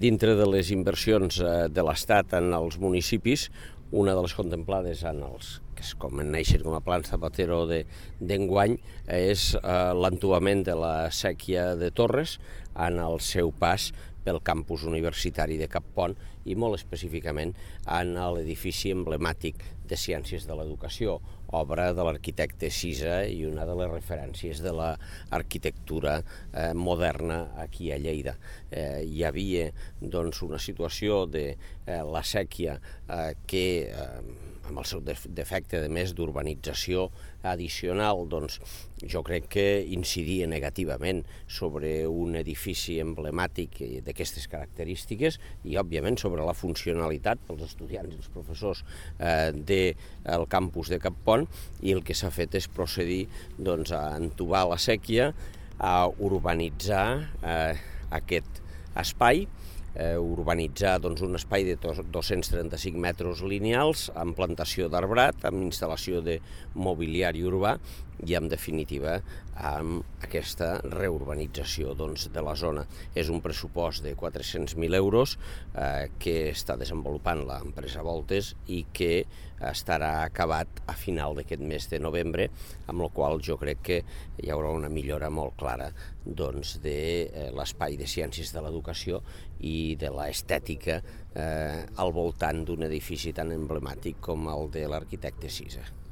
dintre de les inversions de l'Estat en els municipis, una de les contemplades en els que es coneixen com a plans Zapatero d'enguany és l'entuament de la séquia de Torres en el seu pas pel campus universitari de Cap Pont i molt específicament en l'edifici emblemàtic de Ciències de l'Educació, obra de l'arquitecte Cisa i una de les referències de l'arquitectura moderna aquí a Lleida. Hi havia una situació de la séquia que amb el seu defecte de més d'urbanització addicional, jo crec que incidia negativament sobre un edifici emblemàtic d'aquestes característiques i, òbviament, sobre la funcionalitat pels estudiants i els professors del campus de Cap Pont, i el que s'ha fet és procedir a entubar la séquia, a urbanitzar aquest espai, urbanitzar un espai de 235 metres lineals amb plantació d'arbrat, amb instal·lació de mobiliari urbà i, en definitiva, amb aquesta reurbanització de la zona. És un pressupost de 400.000 euros que està desenvolupant l'empresa Voltes i que estarà acabat a final d'aquest mes de novembre, amb la qual jo crec que hi haurà una millora molt clara de l'espai de ciències de l'educació i de l'estètica al voltant d'un edifici tan emblemàtic com el de l'arquitecte Cisa.